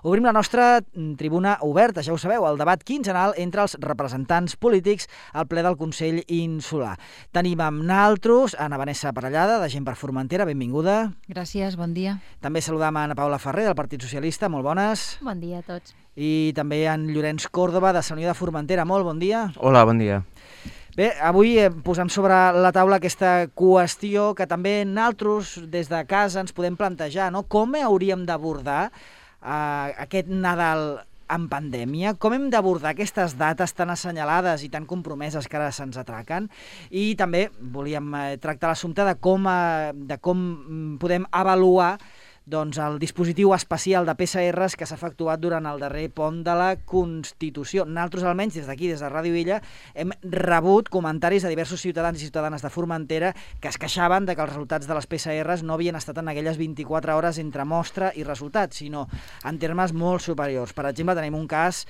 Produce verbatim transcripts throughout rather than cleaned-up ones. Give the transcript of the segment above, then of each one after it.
Obrim la nostra tribuna oberta, ja ho sabeu, el debat quinzenal entre els representants polítics al ple del Consell Insular. Tenim amb naltros Ana Vanessa Parellada, de Gent per Formentera, benvinguda. Gràcies, bon dia. També saludam a Ana Paula Ferrer, del Partit Socialista, molt bones. Bon dia a tots. I també en Llorenç Còrdova, de Sant Unió de Formentera, molt bon dia. Hola, bon dia. Bé, avui eh, posem sobre la taula aquesta qüestió que també naltros des de casa ens podem plantejar, no? Com hauríem d'abordar eh, aquest Nadal en pandèmia? Com hem d'abordar aquestes dates tan assenyalades i tan compromeses que ara se'ns atraquen? I també volíem eh, tractar l'assumpte de com, eh, de com podem avaluar doncs, el dispositiu especial de P C Rs que s'ha efectuat durant el darrer pont de la Constitució. Nosaltres, almenys, des d'aquí, des de Ràdio Illa, hem rebut comentaris de diversos ciutadans i ciutadanes de Formentera que es queixaven de que els resultats de les P C Rs no havien estat en aquelles vint-i-quatre hores entre mostra i resultat, sinó en termes molt superiors. Per exemple, tenim un cas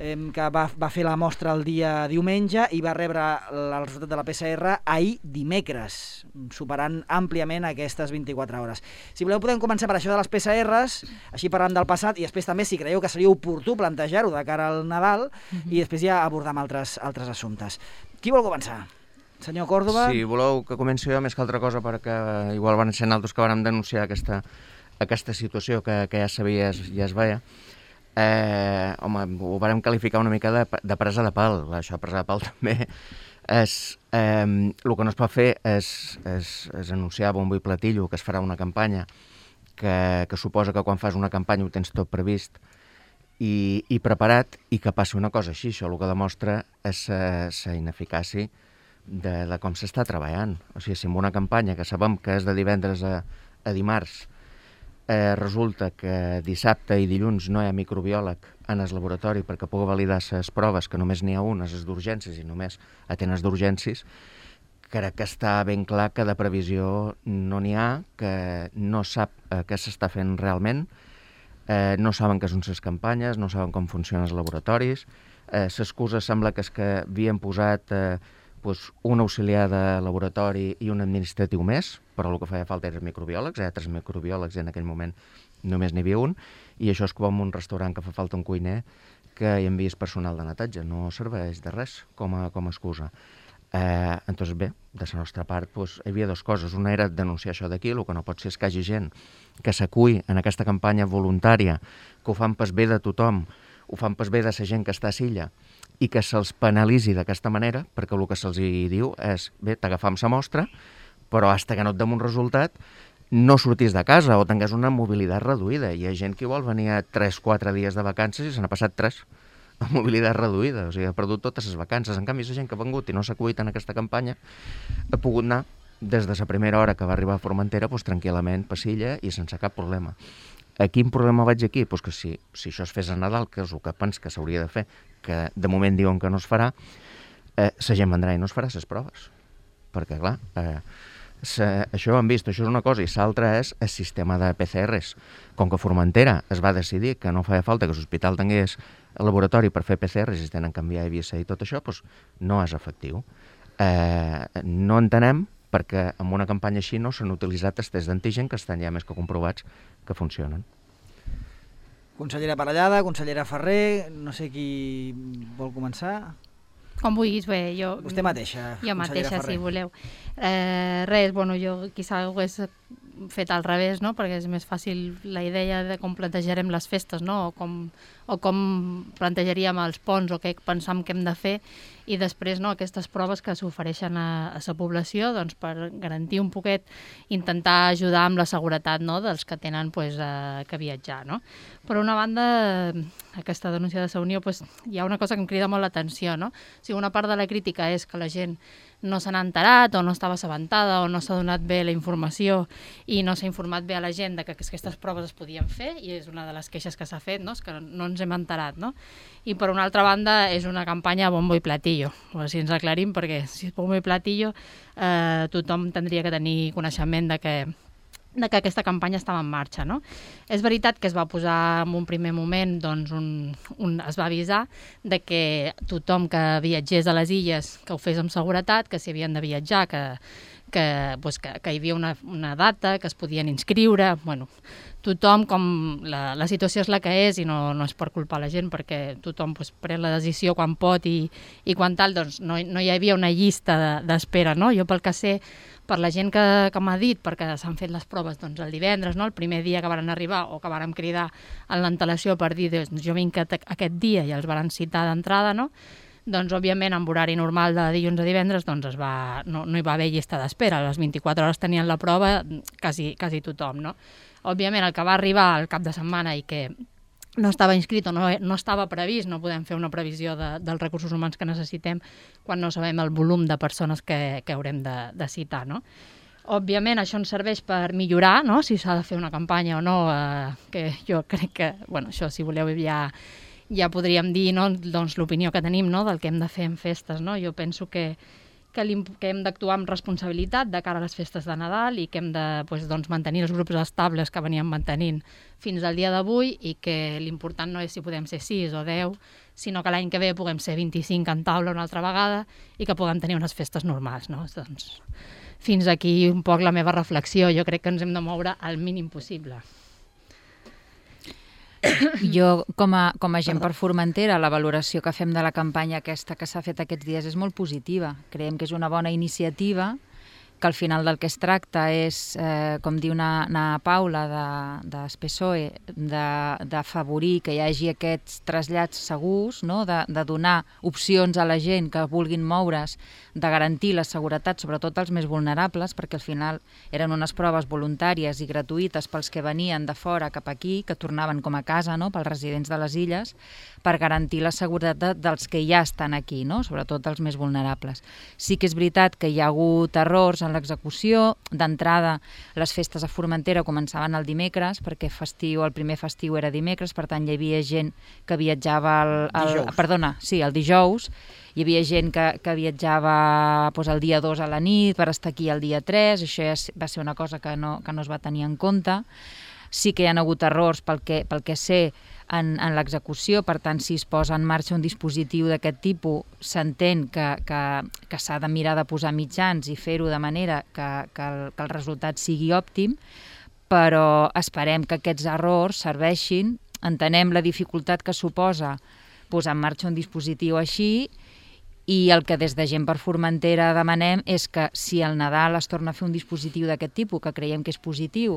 que va, va fer la mostra el dia diumenge i va rebre el resultat de la P C R ahir dimecres, superant àmpliament aquestes vint-i-quatre hores. Si voleu podem començar per això de les P C Rs, així parlant del passat, i després també si creieu que seria oportú plantejar-ho de cara al Nadal, uh-huh. i després ja abordar altres, altres assumptes. Qui vol començar? Senyor Còrdova? Si voleu que comenci jo, més que altra cosa, perquè igual van ser altres que vam denunciar aquesta, aquesta situació que, que ja sabia i ja es veia. Eh, home, ho vam qualificar una mica de, de presa de pal. Això, presa de pal també és, eh, el que no es pot fer és, és, és anunciar bombo i platillo que es farà una campanya que, que suposa que quan fas una campanya ho tens tot previst i, i preparat, i que passi una cosa així. Això el que demostra és la ineficàcia de, de com s'està treballant. O sigui, si en una campanya que sabem que és de divendres a, a dimarts Eh, resulta que dissabte i dilluns no hi ha microbiòleg en el laboratori perquè pugui validar les proves, que només n'hi ha unes, les d'urgències, i només atén les d'urgències, crec que està ben clar que de previsió no n'hi ha, que no sap eh, què s'està fent realment, eh, no saben què són les campanyes, no saben com funcionen els laboratoris, eh, l'excusa sembla que és que havien posat eh, pues, un auxiliar de laboratori i un administratiu més, però el que feia falta eren microbiòlegs, hi ha tres microbiòlegs i en aquell moment només n'hi havia un, i això és com un restaurant que fa falta un cuiner que hi envies personal de netatge, no serveix de res com a, com a excusa. Eh, entonces bé, de la nostra part pues, hi havia dues coses, una era denunciar això d'aquí, el que no pot ser és que hi hagi gent que s'acull en aquesta campanya voluntària, que ho fan pas bé de tothom, ho fan pas bé de la gent que està a Silla, i que se'ls penalitzi d'aquesta manera, perquè el que se'ls diu és, bé, t'agafam la mostra, però fins que no et dem un resultat, no sortis de casa o tingués una mobilitat reduïda. Hi ha gent que igual venia tres o quatre dies de vacances i se n'ha passat tres amb mobilitat reduïda, o sigui, ha perdut totes les vacances. En canvi, la gent que ha vengut i no s'ha acuit en aquesta campanya ha pogut anar des de la primera hora que va arribar a Formentera pues, tranquil·lament per Silla i sense cap problema. A quin problema vaig aquí? Pues que si, si això es fes a Nadal, que és el que pens que s'hauria de fer, que de moment diuen que no es farà, eh, la gent vendrà i no es farà les proves. Perquè, clar, eh, se, això ho hem vist, això és una cosa, i l'altra és el sistema de P C Rs. Com que Formentera es va decidir que no feia falta que l'hospital tingués el laboratori per fer P C Rs i es tenen que canviar I B S i tot això, doncs no és efectiu. Eh, no entenem perquè en una campanya així no s'han utilitzat els tests d'antigen que estan ja més que comprovats que funcionen. Consellera Parellada, consellera Ferrer, no sé qui vol començar. Com vulguis, bé, jo... Vostè mateixa, jo mateixa, Ferrer. si voleu. Eh, res, bueno, jo quizà ho hagués fet al revés, no?, perquè és més fàcil la idea de com plantejarem les festes, no?, o com, o com plantejaríem els ponts, o què pensam que hem de fer, i després, no?, aquestes proves que s'ofereixen a, a la població, doncs, per garantir un poquet, intentar ajudar amb la seguretat, no?, dels que tenen, pues, eh, que viatjar, no? Per una banda, aquesta denúncia de la Unió, pues, hi ha una cosa que em crida molt l'atenció, no? O sigui, una part de la crítica és que la gent no se n'ha enterat o no estava assabentada o no s'ha donat bé la informació i no s'ha informat bé a la gent de que aquestes proves es podien fer, i és una de les queixes que s'ha fet, no?, és que no ens hem enterat, no? I per una altra banda és una campanya bombo i platillo, o si ens aclarim, perquè si és bombo i platillo eh, tothom tindria que tenir coneixement de que de que aquesta campanya estava en marxa, no? És veritat que es va posar en un primer moment, doncs, un, un, es va avisar de que tothom que viatgés a les illes que ho fes amb seguretat, que si havien de viatjar, que, que, pues, que, que hi havia una, una data, que es podien inscriure, bueno, tothom, com la, la situació és la que és i no, no és per culpar la gent, perquè tothom pues, pren la decisió quan pot i, i quan tal, doncs no, no hi havia una llista d'espera, no? Jo pel que sé, per la gent que, que m'ha dit, perquè s'han fet les proves doncs, el divendres, no? El primer dia que van arribar o que van cridar en l'antelació per dir doncs, jo vinc aquest dia i els van citar d'entrada, no? Doncs, òbviament, amb horari normal de dilluns a divendres doncs es va, no, no hi va haver llista d'espera. A les vint-i-quatre hores tenien la prova quasi, quasi tothom, no? Òbviament, el que va arribar al cap de setmana i que no estava inscrit o no, no estava previst, no podem fer una previsió de, dels recursos humans que necessitem quan no sabem el volum de persones que, que haurem de, de citar, no? Òbviament, això ens serveix per millorar, no? Si s'ha de fer una campanya o no, eh, que jo crec que, bueno, això, si voleu, ja... ja podríem dir, no, doncs, l'opinió que tenim, no, del que hem de fer en festes. No? Jo penso que, que, que hem d'actuar amb responsabilitat de cara a les festes de Nadal i que hem de pues, doncs, mantenir els grups estables que veníem mantenint fins al dia d'avui i que l'important no és si podem ser sis o deu, sinó que l'any que ve puguem ser vint-i-cinc en taula una altra vegada i que puguem tenir unes festes normals. No? Doncs, fins aquí un poc la meva reflexió. Jo crec que ens hem de moure al mínim possible. Jo, com a, com a gent per Formentera, la valoració que fem de la campanya aquesta que s'ha fet aquests dies és molt positiva. Creiem que és una bona iniciativa, que al final del que es tracta és, eh, com diu na, na Paula de, de PSOE, d'afavorir que hi hagi aquests trasllats segurs, no? de, de donar opcions a la gent que vulguin moure's, de garantir la seguretat, sobretot als més vulnerables, perquè al final eren unes proves voluntàries i gratuïtes pels que venien de fora cap aquí, que tornaven com a casa, no? Pels residents de les illes, per garantir la seguretat dels que ja estan aquí, no? Sobretot els més vulnerables. Sí que és veritat que hi ha hagut errors en l'execució. D'entrada, les festes a Formentera començaven el dimecres, perquè festiu, el primer festiu era dimecres, per tant hi havia gent que viatjava el, el, dijous. Perdona, sí, el dijous. Hi havia gent que, que viatjava doncs, el dia dos a la nit per estar aquí el dia tres, això ja va ser una cosa que no, que no es va tenir en compte. Sí que hi ha hagut errors pel que, pel que sé en, en l'execució, per tant, si es posa en marxa un dispositiu d'aquest tipus, s'entén que, que, que s'ha de mirar de posar mitjans i fer-ho de manera que, que, el, que el resultat sigui òptim, però esperem que aquests errors serveixin, entenem la dificultat que suposa posar en marxa un dispositiu així, i el que des de Gent per Formentera demanem és que si al Nadal es torna a fer un dispositiu d'aquest tipus, que creiem que és positiu,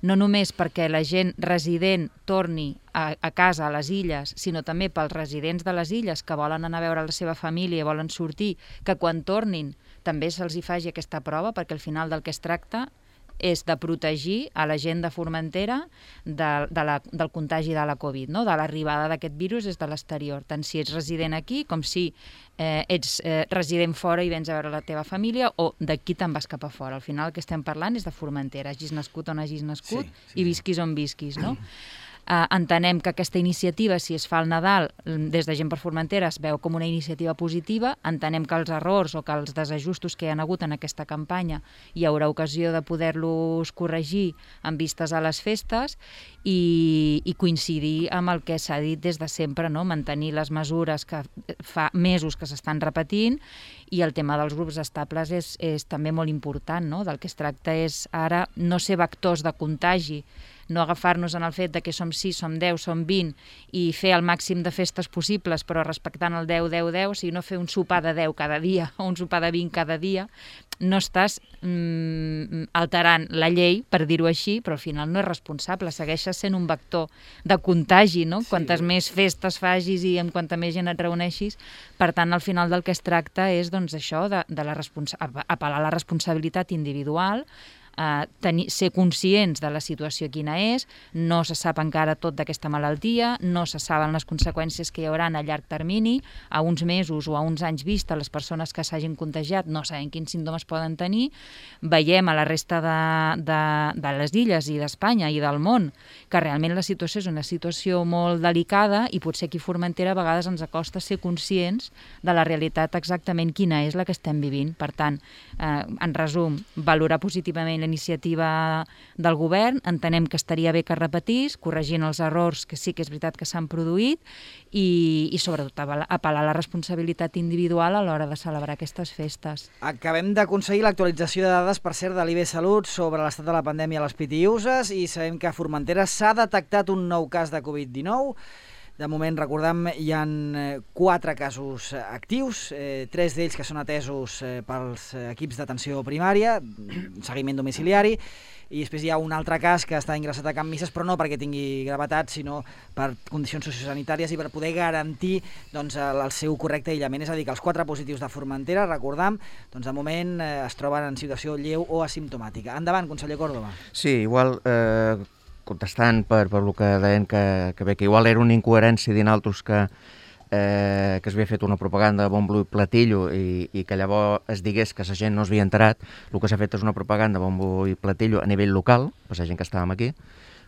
no només perquè la gent resident torni a, a casa, a les illes, sinó també pels residents de les illes que volen anar a veure la seva família i volen sortir, que quan tornin també se'ls hi faci aquesta prova, perquè al final del que es tracta és de protegir a la gent de Formentera de, de la, del contagi de la Covid, no? De l'arribada d'aquest virus des de l'exterior, tant si ets resident aquí com si eh, ets eh, resident fora i vens a veure la teva família o d'aquí te'n vas cap a fora. Al final el que estem parlant és de Formentera, hagis nascut on hagis nascut sí, sí, i visquis on visquis, no? Uh, entenem que aquesta iniciativa, si es fa al Nadal, des de Gent per Formentera es veu com una iniciativa positiva, entenem que els errors o que els desajustos que hi ha hagut en aquesta campanya hi haurà ocasió de poder-los corregir en vistes a les festes i, i coincidir amb el que s'ha dit des de sempre, no? Mantenir les mesures que fa mesos que s'estan repetint, i el tema dels grups estables és, és també molt important, no? Del que es tracta és ara no ser vectors de contagi, no agafar-nos en el fet de que som sis, som deu, som vint i fer el màxim de festes possibles però respectant el deu deu deu, o sigui, no fer un sopar de deu cada dia o un sopar de vint cada dia, no estàs mm, alterant la llei, per dir-ho així, però al final no és responsable, segueixes sent un vector de contagi, no? Sí. Quantes més festes facis i amb quanta més gent et reuneixis, per tant, al final del que es tracta és doncs, això, de, de la responsa- apel·lar a la responsabilitat individual, Uh, tenir, ser conscients de la situació quina és, no se sap encara tot d'aquesta malaltia, no se saben les conseqüències que hi haurà a llarg termini, a uns mesos o a uns anys vista les persones que s'hagin contagiat no saben quins símptomes poden tenir. Veiem a la resta de, de, de les illes i d'Espanya i del món que realment la situació és una situació molt delicada i potser aquí a Formentera a vegades ens acosta ser conscients de la realitat exactament quina és la que estem vivint. Per tant, eh, en resum, valorar positivament la iniciativa del govern, entenem que estaria bé que es repetís, corregint els errors que sí que és veritat que s'han produït i, i sobretot apel·lar a la responsabilitat individual a l'hora de celebrar aquestes festes. Acabem d'aconseguir l'actualització de dades, per cert, de l'I B Salut sobre l'estat de la pandèmia a les Pitiüses i sabem que a Formentera s'ha detectat un nou cas de covid dinou. De moment, recordem, hi ha quatre casos actius, eh, tres d'ells que són atesos eh, pels equips d'atenció primària, seguiment domiciliari, i després hi ha un altre cas que està ingressat a Can Misses, però no perquè tingui gravetat, sinó per condicions sociosanitàries i per poder garantir doncs, el, el seu correcte aïllament. És a dir, que els quatre positius de Formentera, recordam, doncs, de moment eh, es troben en situació lleu o asimptomàtica. Endavant, conseller Córdoba. Sí, igual... Eh... contestant per, per el que deien que, que bé, que igual era una incoherència dir altres que, eh, que es havia fet una propaganda de bombo i platillo i, i que llavors es digués que la gent no s'havia enterat. El que s'ha fet és una propaganda de bombo i platillo a nivell local, per la gent que estàvem aquí,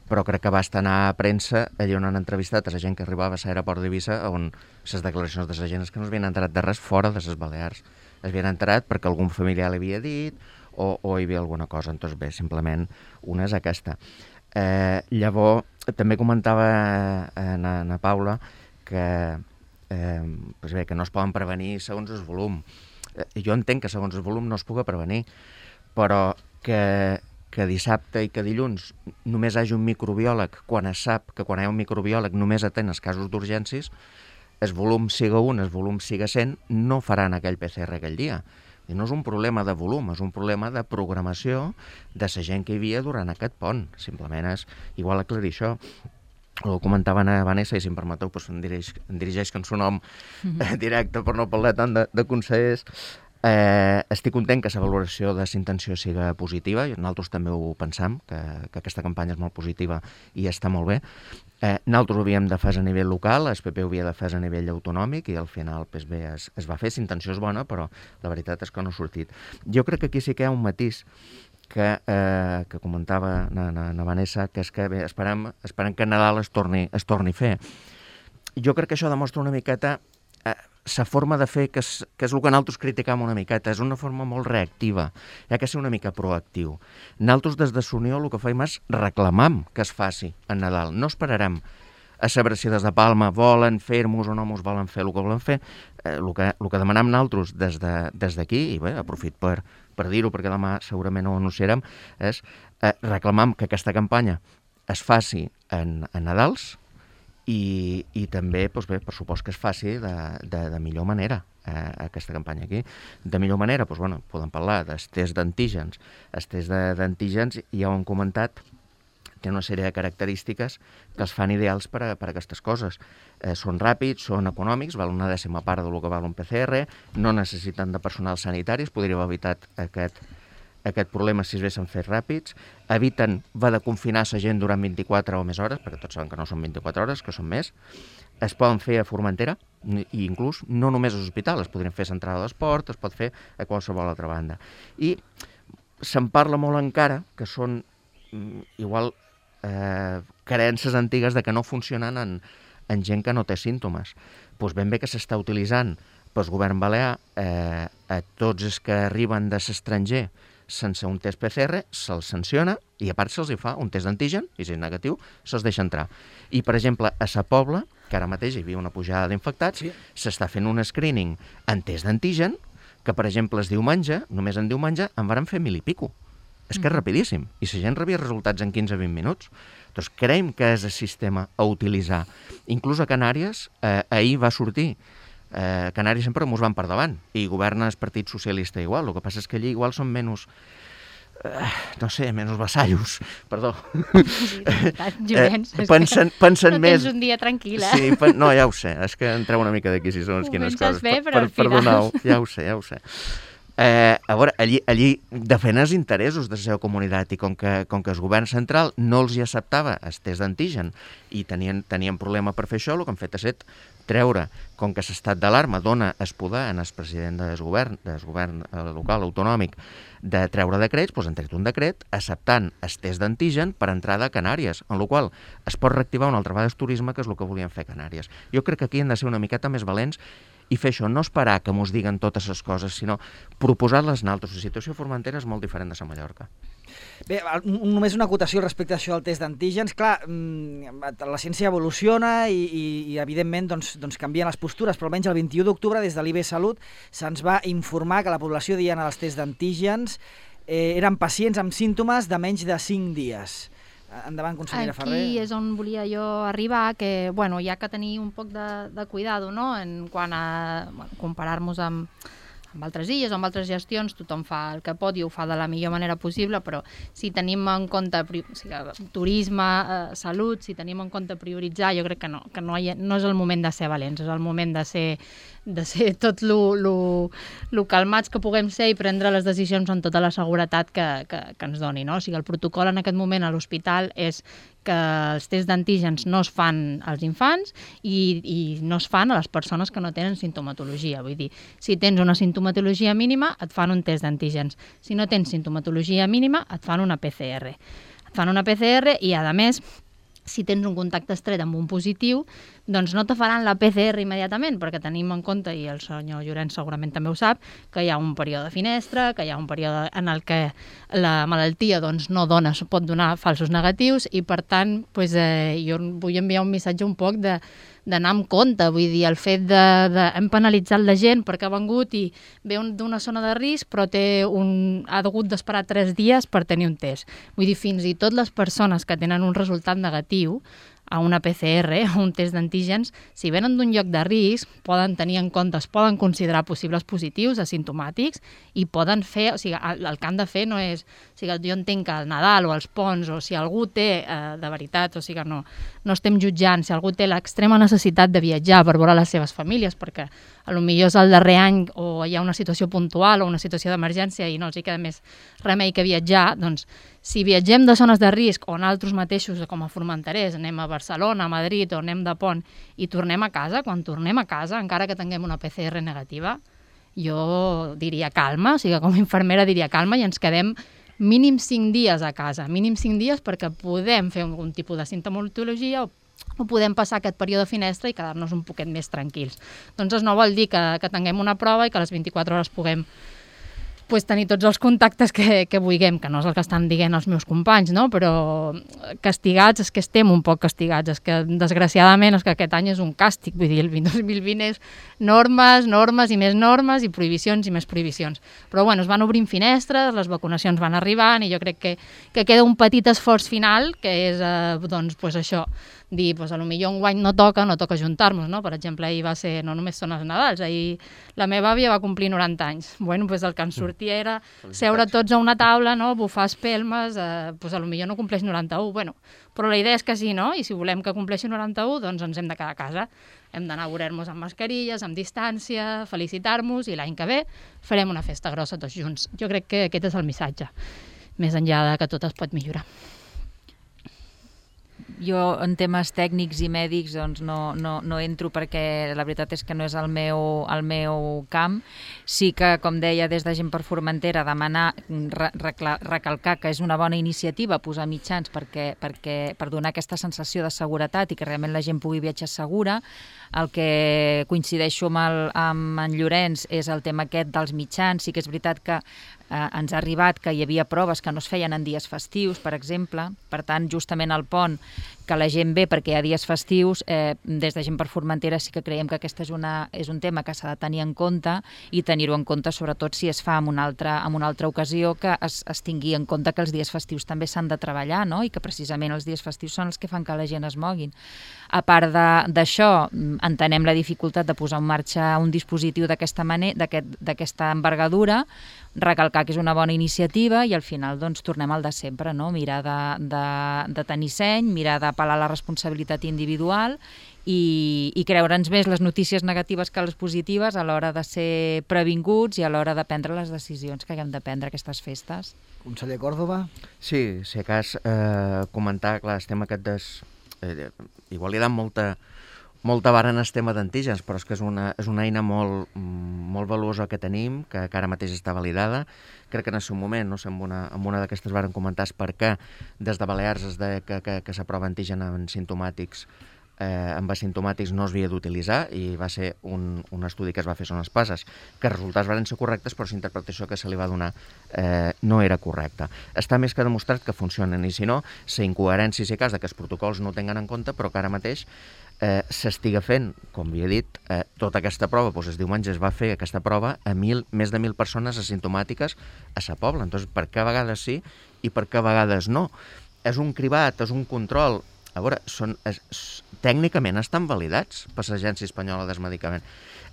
però crec que basta anar a premsa allà on han entrevistat a la gent que arribava a l'aeroport d'Eivissa, on les declaracions de la gent és que no s'havien enterat de res fora de les Balears. Es havien enterat perquè algun familiar l'havia dit o, o hi havia alguna cosa. Doncs bé, simplement una és aquesta. Eh, llavors, també comentava eh, na, na Paula que, eh, pues bé, que no es poden prevenir segons el volum. Eh, jo entenc que segons el volum no es pugui prevenir, però que, que dissabte i que dilluns només hi hagi un microbiòleg, quan es sap que quan hi ha un microbiòleg només atén els casos d'urgències, el volum siga un, el volum siga cent, no faran aquell P C R aquell dia. I no és un problema de volum, és un problema de programació de la gent que hi havia durant aquest pont. Simplement és igual aclarir això. Ho comentaven a Vanessa, i si em permeteu, doncs em dirigeix, em dirigeix que en son nom mm-hmm. directe per no parlar tant de, de consellers. Eh, estic content que la valoració de la intenció siga positiva, i nosaltres també ho pensam, que, que aquesta campanya és molt positiva i està molt bé. Eh, nosaltres ho havíem de fer a nivell local, el P P ho havia de fer a nivell autonòmic i al final pues, bé, es, es va fer, la intenció és bona, però la veritat és que no ha sortit. Jo crec que aquí sí que hi ha un matís que, eh, que comentava na, na, na Vanessa, que és que bé, esperem, esperem que Nadal es torni, es torni a fer. Jo crec que això demostra una miqueta eh, la forma de fer, que és, que és el que nosaltres criticam una miqueta, és una forma molt reactiva, hi ha que ser una mica proactiu. Nosaltres des de Sunió el que fem és reclamam que es faci en Nadal, no esperarem a saber si des de Palma volen fer-nos o no ens volen fer el que volen fer. Eh, el, que, el que demanem nosaltres des d'aquí, de, i bé, aprofit per, per dir-ho perquè demà segurament ho anunciarem, és eh, reclamam que aquesta campanya es faci en, en Nadals, I, i també, doncs bé, per supost que es faci de, de, de millor manera eh, aquesta campanya aquí. De millor manera, doncs, bueno, podem parlar dels tests d'antígens. Els tests d'antígens ja ho han comentat, té una sèrie de característiques que els fan ideals per a, per a aquestes coses. Eh, són ràpids, són econòmics, val una dècima part del que val un P C R, no necessiten de personal sanitari, es podria haver evitat aquest aquest problema si es haguessin fet ràpids, eviten va de confinar la gent durant vint-i-quatre o més hores, perquè tots saben que no són vint-i-quatre hores, que són més, es poden fer a Formentera, i inclús no només a l'hospital, es podrien fer a Central d'Esport, es pot fer a qualsevol altra banda. I se'n parla molt encara, que són igual eh, carències antigues de que no funcionen en, en gent que no té símptomes. Doncs ben bé que s'està utilitzant pel govern balear eh, a tots els que arriben de l'estranger sense un test P C R, se'ls sanciona i a part se'ls hi fa un test d'antigen i si és negatiu se'ls deixa entrar. I per exemple a Sa Pobla, que ara mateix hi havia una pujada d'infectats, s'està fent un screening en test d'antigen que per exemple es diumenge, només en diumenge en varen fer mil i pico. És que és rapidíssim i la gent rebia resultats en quinze a vint minuts. Doncs creiem que és el sistema a utilitzar. Inclús a Canàries eh, ahir va sortir Eh, Canàries sempre ens van per davant i governa el Partit Socialista igual, el que passa és que allí igual són menys eh, no sé, menys vassallos, perdó. Sí, Llorenç, eh, pensen, pensen no més... tens un dia tranquil, eh? Sí, pen... no, ja ho sé, és que entreu una mica d'aquí si són quines coses. Bé, però per, perdoneu, ja ho sé, ja ho sé. Eh, a veure, allí, allí defenen els interessos de la seva comunitat i com que, com que el govern central no els hi acceptava el test d'antigen i tenien, tenien problema per fer això, el que han fet és treure, com que l'estat d'alarma dona el poder en el president del govern, del govern local autonòmic de treure decrets, doncs han tret un decret acceptant el test d'antigen per entrada a Canàries, en la qual es pot reactivar una altra vegada el turisme, que és el que volien fer a Canàries. Jo crec que aquí hem de ser una miqueta més valents i fer això, no esperar que mos diguen totes les coses, sinó proposar-les naltros. La situació a Formentera és molt diferent de la Mallorca. Bé, només una acotació respecte a això del test d'antígens. Clar, la ciència evoluciona i, i, i evidentment, doncs, doncs canvien les postures, però almenys el vint-i-u d'octubre, des de l'I B Salut, se'ns va informar que la població diana dels tests d'antígens eh, eren pacients amb símptomes de menys de cinc dies. Endavant, consellera Ferrer. Aquí és on volia jo arribar, que bueno, hi ha que tenir un poc de, de cuidado, no?, en quant a bueno, comparar-nos amb amb altres illes o amb altres gestions, tothom fa el que pot i ho fa de la millor manera possible, però si tenim en compte o sigui, turisme, eh, salut, si tenim en compte prioritzar, jo crec que no, que no, hi, no és el moment de ser valents, és el moment de ser, de ser tot lo, lo, lo calmats que puguem ser i prendre les decisions amb tota la seguretat que, que, que ens doni. No? O sigui, el protocol en aquest moment a l'hospital és que els tests d'antígens no es fan als infants i, i no es fan a les persones que no tenen sintomatologia. Vull dir, si tens una sintomatologia mínima, et fan un test d'antígens. Si no tens sintomatologia mínima, et fan una P C R. Et fan una P C R i, a més, si tens un contacte estret amb un positiu, doncs no te faran la P C R immediatament, perquè tenim en compte, i el senyor Llorenç segurament també ho sap, que hi ha un període de finestra, que hi ha un període en el que la malaltia doncs, no dona, pot donar falsos negatius, i per tant doncs, eh, jo vull enviar un missatge un poc de d'anar amb compte, vull dir, el fet de, de hem penalitzat la gent perquè ha vengut i ve d'una zona de risc, però té un, ha hagut d'esperar tres dies per tenir un test. Vull dir, fins i tot les persones que tenen un resultat negatiu a una P C R, a un test d'antígens, si venen d'un lloc de risc, poden tenir en compte, es poden considerar possibles positius, asimptomàtics, i poden fer, o sigui, el, el que han de fer no és, o sigui, jo entenc que al Nadal o als ponts, o si algú té, eh, de veritat, o sigui, no, no estem jutjant, si algú té l'extrema necessitat de viatjar per veure les seves famílies, perquè a lo millor és el darrer any o hi ha una situació puntual o una situació d'emergència i no els hi queda més remei que viatjar, doncs si viatgem de zones de risc o nosaltres mateixos com a formenterers anem a Barcelona, a Madrid o anem de pont i tornem a casa, quan tornem a casa, encara que tinguem una P C R negativa, jo diria calma, o sigui, com a infermera diria calma i ens quedem mínim cinc dies a casa, mínim cinc dies perquè podem fer algun tipus de sintomatologia o o podem passar aquest període de finestra i quedar-nos un poquet més tranquils. Doncs això no vol dir que, que tinguem una prova i que a les vint-i-quatre hores puguem pues, tenir tots els contactes que, que vulguem, que no és el que estan dient els meus companys, no? Però castigats, és que estem un poc castigats, és que desgraciadament és que aquest any és un càstig, vull dir, el dos mil vint és normes, normes i més normes i prohibicions i més prohibicions. Però bueno, es van obrint finestres, les vacunacions van arribant i jo crec que, que queda un petit esforç final, que és, eh, doncs, pues això, dir, doncs, potser un guany no toca, no toca juntar-nos, no? Per exemple, ahir va ser, no només són els Nadals, ahir la meva àvia va complir noranta anys. Bueno, doncs el que ens sortia era seure tots a una taula, no? Bufar espelmes, eh, doncs potser no compleix noranta-u, bueno, però la idea és que sí, no? I si volem que compleixi noranta-u, doncs ens hem de quedar a casa. Hem d'anar a veure-nos amb mascarilles, amb distància, felicitar-nos i l'any que ve farem una festa grossa tots junts. Jo crec que aquest és el missatge, més enllà de que tot es pot millorar. Jo en temes tècnics i mèdics doncs no, no, no entro perquè la veritat és que no és el meu, el meu camp. Sí que, com deia, des de Gent per Formentera, demanar, re, recalcar que és una bona iniciativa posar mitjans perquè, perquè, per donar aquesta sensació de seguretat i que realment la gent pugui viatjar segura. El que coincideixo amb, el, amb en Llorenç és el tema aquest dels mitjans. Sí que és veritat que eh, ens ha arribat que hi havia proves que no es feien en dies festius, per exemple. Per tant, justament al pont, que la gent ve perquè hi ha dies festius, eh, des de Gent per Formentera sí que creiem que aquest és, una, és un tema que s'ha de tenir en compte i tenir-ho en compte sobretot si es fa en una altra, en una altra ocasió, que es, es tingui en compte que els dies festius també s'han de treballar, no? I que precisament els dies festius són els que fan que la gent es moguin. A part d'això, entenem la dificultat de posar en marxa un dispositiu d'aquesta manera, d'aquesta envergadura, recalcar que és una bona iniciativa i al final doncs, tornem al de sempre, no? Mirar de, de, de tenir seny, mirar d'apel·lar la responsabilitat individual i, i creure'ns més les notícies negatives que les positives a l'hora de ser previnguts i a l'hora de prendre les decisions que haguem de prendre aquestes festes. Conseller Córdoba? Sí, si a cas eh, comentar, clar, el tema aquest des... Eh, igual li dan molta, molta vara en el tema d'antígens, però és que és una, és una eina molt, molt valuosa que tenim, que, que ara mateix està validada. Crec que en el seu moment, no sé, amb una, amb una d'aquestes varen comentar per què des de Balears es deia que, que, que s'aprova antigen en simptomàtics eh, amb asimptomàtics no es havia d'utilitzar i va ser un, un estudi que es va fer sobre les passes, que els resultats van ser correctes, però la interpretació que se li va donar eh, no era correcta. Està més que demostrat que funcionen, i si no, la incoherència, si cas, de que els protocols no ho tenen en compte, però que ara mateix eh, s'estiga fent, com havia dit, eh, tota aquesta prova, doncs el diumenge es va fer aquesta prova a mil, més de mil persones asimptomàtiques a sa pobla. Entonces, per què a vegades sí i per què a vegades no? És un cribat, és un control. A veure, són, és, tècnicament estan validats per l'Agència Espanyola del Medicament.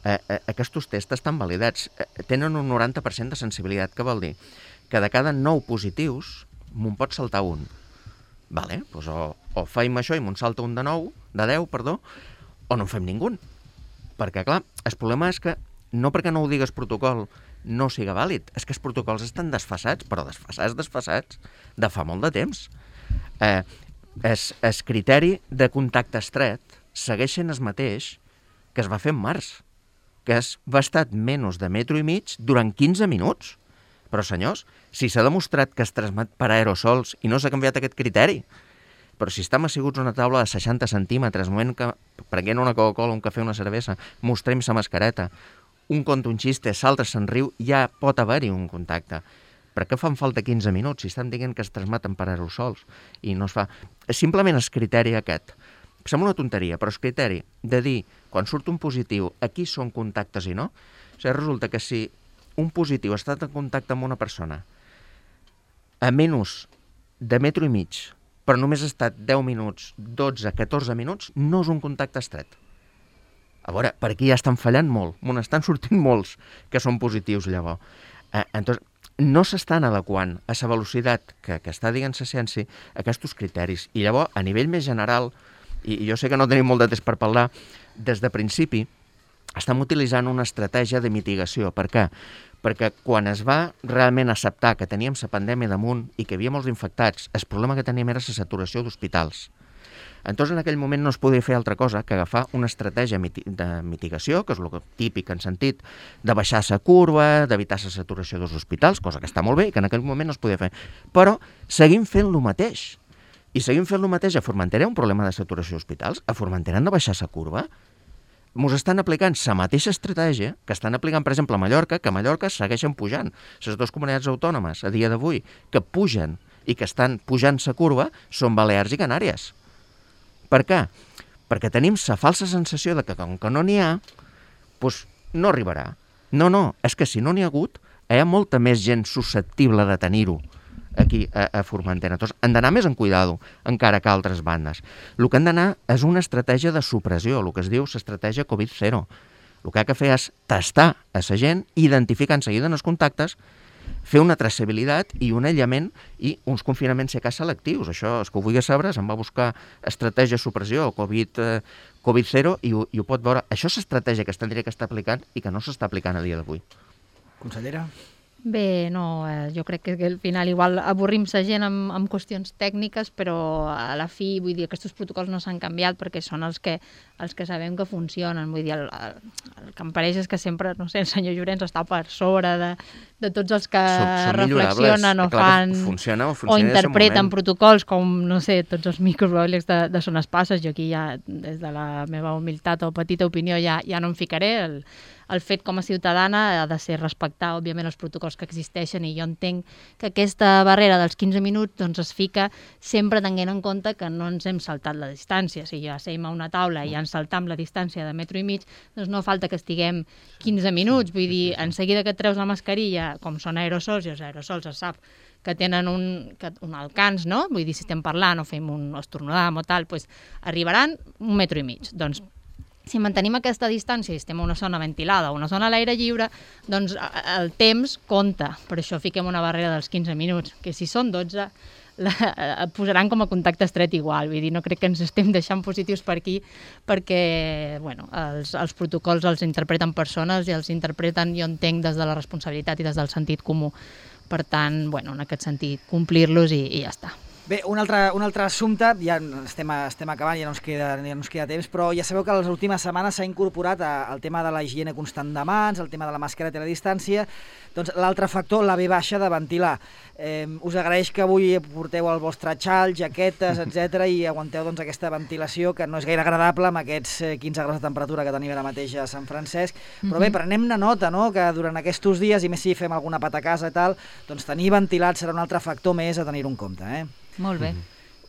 Eh, eh, aquests tests estan validats. Eh, tenen un noranta per cent de sensibilitat, que vol dir que de cada nou positius me'n pot saltar un. Vale, doncs o, o faim això i me'n salta un de nou, de deu, perdó, o no en fem ningú. Perquè, clar, el problema és que no perquè no ho digues protocol no siga vàlid, és que els protocols estan desfasats, però desfasats, desfasats, de fa molt de temps. Eh, el, el criteri de contacte estret segueix sent el mateix que es va fer en març, que es va estar menys de metro i mig durant quinze minuts. Però, senyors, si s'ha demostrat que es transmet per aerosols i no s'ha canviat aquest criteri, però si estem asseguts a una taula de seixanta centímetres, moment que prenguent una Coca-Cola, un cafè, una cervesa, mostrem sa mascareta, un conta un xiste, l'altre se'n riu, ja pot haver-hi un contacte. Per què fan falta quinze minuts si estan dient que es transmeten per aerosols i no es fa? Simplement el criteri aquest. Sembla una tonteria, però el criteri de dir, quan surt un positiu, aquí són contactes i no, o sigui, resulta que si un positiu ha estat en contacte amb una persona a menys de metro i mig, però només ha estat deu minuts, dotze, catorze minuts, no és un contacte estret. A veure, per aquí ja estan fallant molt, m'on estan sortint molts que són positius llavors. Eh, entonces, no s'estan adequant a la velocitat que, que està dient la ciència a aquests criteris. I llavors, a nivell més general, i jo sé que no tenim molt de temps per parlar, des de principi estem utilitzant una estratègia de mitigació. Per què? Perquè quan es va realment acceptar que teníem la pandèmia damunt i que hi havia molts infectats, el problema que teníem era la saturació d'hospitals. Entonces, en aquell moment no es podia fer altra cosa que agafar una estratègia de mitigació, que és el típic en sentit de baixar la curva, d'evitar la saturació dels hospitals, cosa que està molt bé i que en aquell moment no es podia fer. Però seguim fent el mateix. I seguim fent el mateix. A Formentera hi ha un problema de saturació d'hospitals? A Formentera han de baixar la curva? Ens estan aplicant la mateixa estratègia que estan aplicant, per exemple, a Mallorca, que a Mallorca segueixen pujant. Les dues comunitats autònomes, a dia d'avui, que pugen i que estan pujant la curva, són Balears i Canàries. Per què? Perquè tenim la falsa sensació de que com que no n'hi ha, doncs no arribarà. No, no, és que si no n'hi ha hagut, hi ha molta més gent susceptible de tenir-ho aquí a, a Formentera. Entonces, han d'anar més en cuidado, encara que altres bandes. El que han d'anar és una estratègia de supressió, el que es diu l'estratègia Covid zero. El que ha de fer és tastar a la gent, identificar en seguida en els contactes, fer una traçabilitat i un aïllament i uns confinaments si cas selectius. Això, és que ho vulgui saber, se'n va buscar estratègia de supressió, Covid, eh, Covid zero, i ho, i ho pot veure. Això és l'estratègia que es tindria que estar aplicant i que no s'està aplicant a dia d'avui. Consellera? Bé, no, eh, jo crec que al final igual avorrim la gent amb, amb qüestions tècniques, però a la fi, vull dir, aquests protocols no s'han canviat perquè són els que, els que sabem que funcionen. Vull dir, el, el, el que em pareix és que sempre, no sé, el senyor Llorenç està per sobre de, de tots els que són, són reflexionen o fan funciona, o, o interpreten protocols com, no sé, tots els microbiòlegs de, de Son Espasses. Jo aquí ja, des de la meva humilitat o petita opinió, ja, ja no em ficaré. El, el fet com a ciutadana ha de ser respectar, òbviament, els protocols que existeixen, i jo entenc que aquesta barrera dels quinze minuts doncs, es fica sempre tenint en compte que no ens hem saltat la distància. Si ja seiem a una taula i ja ens saltam la distància de metro i mig, doncs no falta que estiguem quinze minuts. Vull dir, en seguida que et treus la mascarilla, com són aerosols, i els aerosols es sap que tenen un, que, un alcance, no? Vull dir, si estem parlant o fem un estornudam o tal, doncs arribaran un metro i mig. Doncs si mantenim aquesta distància i estem en una zona ventilada o una zona a l'aire lliure, doncs el temps compta. Per això fiquem una barrera dels quinze minuts, que si són dotze, la, et posaran com a contacte estret igual. Vull dir, no crec que ens estem deixant positius per aquí, perquè bueno, els, els protocols els interpreten persones i els interpreten, jo entenc, des de la responsabilitat i des del sentit comú. Per tant, bueno, en aquest sentit, complir-los i, i ja està. Bé, un altre, un altre assumpte, ja estem, estem acabant, ja no, ens queda, ja no ens queda temps, però ja sabeu que les últimes setmanes s'ha incorporat el tema de la higiene constant de mans, el tema de la mascareta i la distància, doncs l'altre factor, la ve baixa de ventilar. Eh, us agraeix que avui porteu el vostre xal, jaquetes, etcètera i aguanteu doncs, aquesta ventilació que no és gaire agradable amb aquests quinze graus de temperatura que tenim ara mateix a Sant Francesc, però bé, prenem-ne nota, no?, que durant aquests dies, i més si fem alguna pata a casa i tal, doncs tenir ventilat serà un altre factor més a tenir-ho en compte, eh? Molt bé.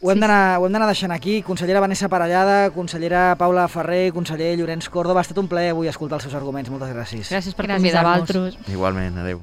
Ho hem d'anar deixant aquí. Consellera Vanessa Parellada, consellera Paula Ferrer, conseller Llorenç Córdoba, ha estat un plaer avui escoltar els seus arguments. Moltes gràcies. Gràcies per Gràcies a convidar-nos. vosaltres. Igualment, adeu.